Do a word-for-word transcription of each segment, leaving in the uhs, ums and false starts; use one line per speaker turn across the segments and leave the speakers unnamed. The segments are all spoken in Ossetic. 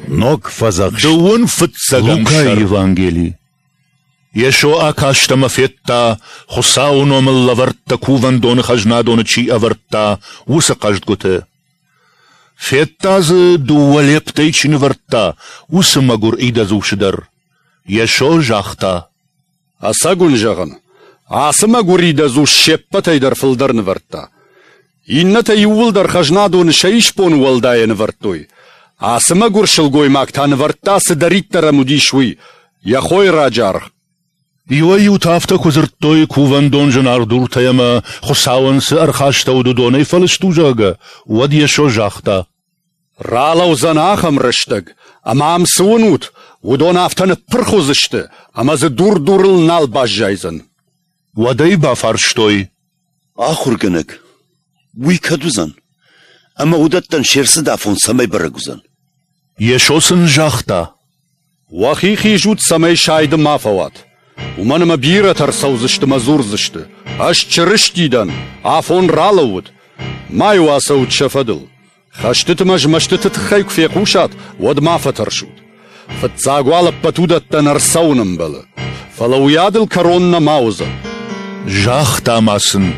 Ног Фӕдзӕхст.
Дыууын фыццӕгӕм
Лукайы
сӕр.
Евангели.
Йесо акаст ӕмӕ федта, Хуыцауы номыл лӕвӕрттӕ кувӕндоны хӕзнадоны чи ӕвӕрдта, уыцы хъӕздгуыты. Федта дзы, дыууӕ лептӕй чи нывӕрдта, уыцы мӕгуыр идӕдз усы дӕр. Йесо загъта:
Ӕцӕг уын зӕгъын, ацы мӕгуыр идӕдз ус се ппӕтӕй дӕр фылдӕр нывӕрдта. Иннӕтӕ иууылдӕр хӕзнадоны сӕ исбон уӕлдайӕ нывӕрдтой. Ацы мӕгуыр сылгоймаг та нывӕрдта, цыдӕриддӕр ӕм уыдис, уый, йӕ хойраджы аргъ.
Иуӕй-иутӕ афтӕ куы дзырдтой, кувӕндон зынаргъ дуртӕй ӕмӕ Хуыцауӕн цы ӕрхастӕуыд, уыдонӕй фӕлыст у, зӕгъгӕ, уӕд Йесо загъта:
Ралӕудзӕн ахӕм рӕстӕг, ӕмӕ ам цы уынут, уыдон афтӕ ныппырх уыдзысты, ӕмӕ дзы дур дурыл нал баззайдзӕн.
Уӕд ӕй бафарстой:
Ахуыргӕнӕг, уый кӕд уыдзӕн? Ӕмӕ уыдӕттӕн се рцыд афон цӕмӕй бӕрӕг уыдзӕн?
Йесо сын загъта:
Уӕхи хизут, цӕмӕй сайды ма фӕуат. Уымӕн ӕмӕ бирӕтӕ ӕрцӕудзысты мӕ дзурдзысты: Ӕз Чырысти дӕн, афон ралӕууыд. Ма-иу ацӕут сӕ фӕдыл. Хӕстыты мӕ змӕстыты тыххӕй куы фехъусат, уӕд ма фӕтӕрсут. Фыццаг уал ӕппӕт уыдӕттӕн ӕрцӕуын ӕмбӕлы. Фӕлӕ уыйадыл кӕрон нӕма уыдзӕн.
Загъта ма сын: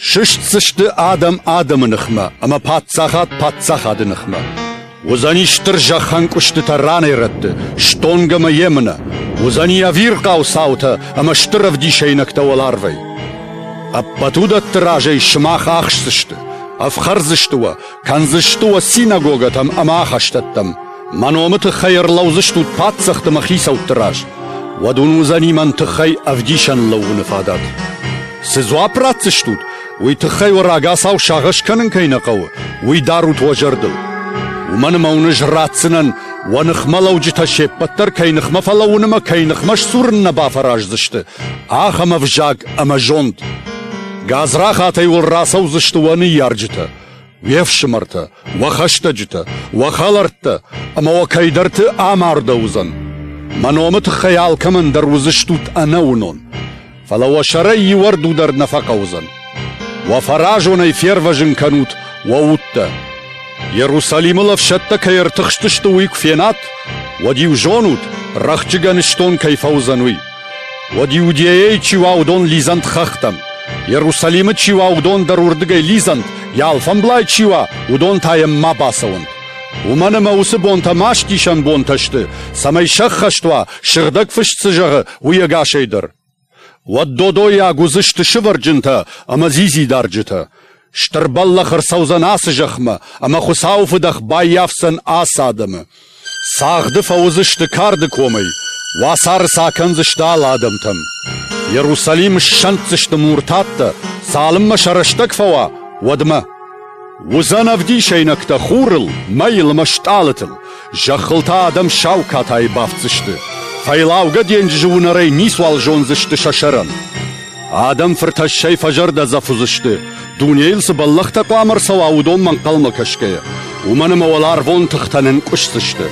Сыстдзысты адӕм адӕмы ныхмӕ ӕмӕ паддзахад паддзахады ныхмӕ. Уыдзӕни стыр зӕххӕнкъуыстытӕ ранӕй-рӕтты, стонг ӕмӕ емынӕ. Уыдзӕни ӕвирхъау цаутӕ ӕмӕ стыр ӕвдисӕйнӕгтӕ уӕларвӕй. Ӕппӕт уыдӕтты разӕй сымах ахсдзысты, ӕфхӕрдзысты уӕ, кӕндзысты уӕ синагогӕтӕм ӕмӕ ахӕстӕттӕм. Мӕ номы тыххӕй ӕрлӕудзыстут паддзӕхты ӕмӕ хицӕутты раз. Уӕд уын уыдзӕни мӕн тыххӕй ӕвдисӕн лӕууыны фадат. Цы дзуапп ратдзыстут, уый тыххӕй уӕ рагацау сагъӕс кӕнын кӕй нӕ хъӕуы, уый дарут уӕ зӕрдыл. Уымӕн ӕмӕ уын ӕз ратдзынӕн, уӕ ныхмӕлӕуджытӕ се ппӕт дӕр кӕй ныхмӕ фӕлӕууын ӕмӕ кӕй ныхмӕ сдзурын нӕ бафӕраздзысты, ахӕм ӕвзаг ӕмӕ зонд. Гадзрахатӕй уыл рацӕудзысты уӕ ныййарджытӕ, уе фсымӕртӕ, уӕ хӕстӕджытӕ, уӕ хӕлӕрттӕ ӕмӕ уӕ кӕйдӕрты амардӕуыдзӕн. Мӕ номы тыххӕй алкӕмӕн дӕр уыдзыстут ӕнӕуынон, фӕлӕ уӕ сӕрӕй иу ӕрду дӕр нӕ фӕхъӕудзӕн. Уӕ фӕразонӕй фервӕзын кӕнут уӕ удтӕ. Иерусалимыл ӕфсӕдтӕ кӕй ӕртыхстысты, уый куы фенат, уӕд-иу зонут, рӕхджы гӕныстон кӕй фӕуыдзӕн, уый. Уӕд Иудейӕйы чи уа, уыдон лидзӕнт хӕхтӕм. Иерусалимы чи уа, уыдон дӕр уырдыгӕй лидзӕнт, йӕ алфӕмблай чи уа, уыдон та йӕм ма бацӕуӕнт. Уымӕн ӕмӕ уыцы бонтӕ мастисӕн бонтӕ сты, цӕмӕй сӕххӕст уа, сыгъдӕг фыст цы зӕгъы, уый ӕгасӕй дӕр. Уӕд додойаг уыдзысты сывӕрджынтӕ ӕмӕ дзидзидарджытӕ. Стыр бӕллӕх ӕрцӕудзӕн ацы зӕхмӕ, ӕмӕ Хуыцауы фыдӕх баййафдзӕн ацы адӕмы. Цагъды фӕуыдзысты карды комӕй, уацары сӕ акӕндзысты алы адӕмтӕм. Иерусалим ссӕнддзысты муртаттӕ, цалынмӕ сӕ рӕстӕг фӕуа, уӕдмӕ. Уыдзӕн ӕвдисӕйнӕгтӕ хурыл, мӕйыл ӕмӕ стъалытыл, зӕххыл та адӕм сау катайы бафтдзысты. Фӕйлаугӕ денджызы уынӕрӕй ницуал зондзысты сӕ сӕрӕн. Адӕм фыртӕссӕй фӕзӕрдӕдзӕф уыдзысты, дунейыл цы бӕллӕхтӕ хъуамӕ ӕрцӕуа, уыдонмӕ ӕнхъӕлмӕ кӕсгӕйӕ. Уымӕн ӕмӕ уӕларвон тыхтӕ нынкъуысдзысты.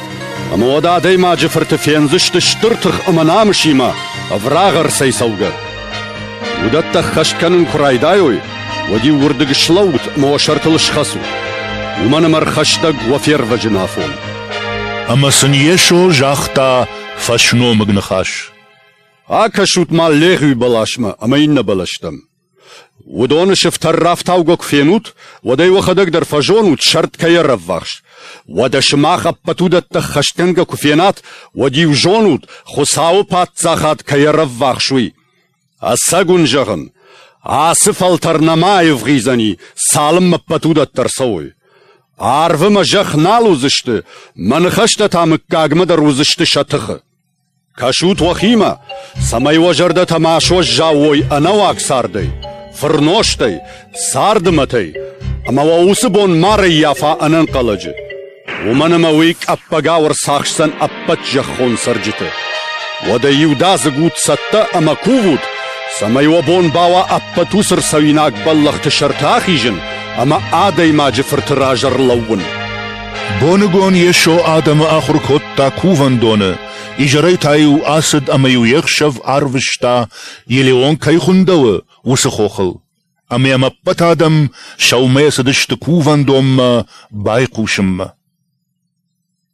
Ӕмӕ уӕд адӕймаджы фырты фендзысты стыр тых ӕмӕ намысимӕ, ӕврагъ ӕрцӕйцӕугӕ. Уыдӕттӕ ӕххӕст кӕнын куы райдайой, уӕд-иу уырдыг слӕуут ӕмӕ уӕ сӕртыл схӕцут. Уымӕн ӕмӕ ӕрхӕстӕг уӕ фервӕзын афон.
Ӕмӕ сын Йесо загъта фӕсномыг ныхас:
Акӕсут-ма легъуи бӕласмӕ ӕмӕ иннӕ бӕлӕстӕм. Уыдоны сыфтӕр рафтаугӕ куы фенут, уӕд ӕй уӕхӕдӕг дӕр фӕзонут, сӕрд кӕй ӕрӕввахс. Уӕдӕ сымах ӕппӕт уыдӕттӕ ӕххӕстгӕнгӕ куы фенат, уӕд-иу зонут, Хуыцауы паддзахад кӕй ӕрӕввахс, уый. Ӕцӕг уын зӕгъын, ацы фӕлтӕр нӕма аивгъуыйдзӕни, цалынмӕ ӕппӕт уыдӕттӕ ӕрцӕуой. Арв ӕмӕ зӕхх нал уыдзысты, мӕ ныхӕстӕ та мыггагмӕ дӕр уыдзысты сӕ тыхы. Кӕсут уӕхимӕ, цӕмӕй уӕ зӕрдӕтӕ ма суӕззау уой ӕнӕуаг цардӕй, фырнозтӕй, царды мӕтӕй, ӕмӕ уӕ уыцы бон ма рӕййафа ӕнӕнхъӕлӕджы. Уымӕн ӕмӕ уый къӕппӕгау ӕрцахсдзӕн ӕппӕт зӕххон цӕрджыты. Уӕдӕ иудадзыг ут цӕттӕ ӕмӕ кувут, цӕмӕй уӕ бон бауа ӕппӕт уыцы рцӕуинаг бӕллӕхты сӕрты ахизын ӕмӕ адӕймаджы фырты раз ӕрлӕууын.
Боныгон Йесо адӕмы ахуыр кодта кувӕндоны, изӕрӕй та-иу ацыд ӕмӕ-иу йе хсӕв арвыста, Елеон кӕй хуындӕуы, уыцы хохыл. Ӕмӕ йӕм ӕппӕт адӕм сӕумӕйӕ цыдысты кувӕндонмӕ байхъусынмӕ.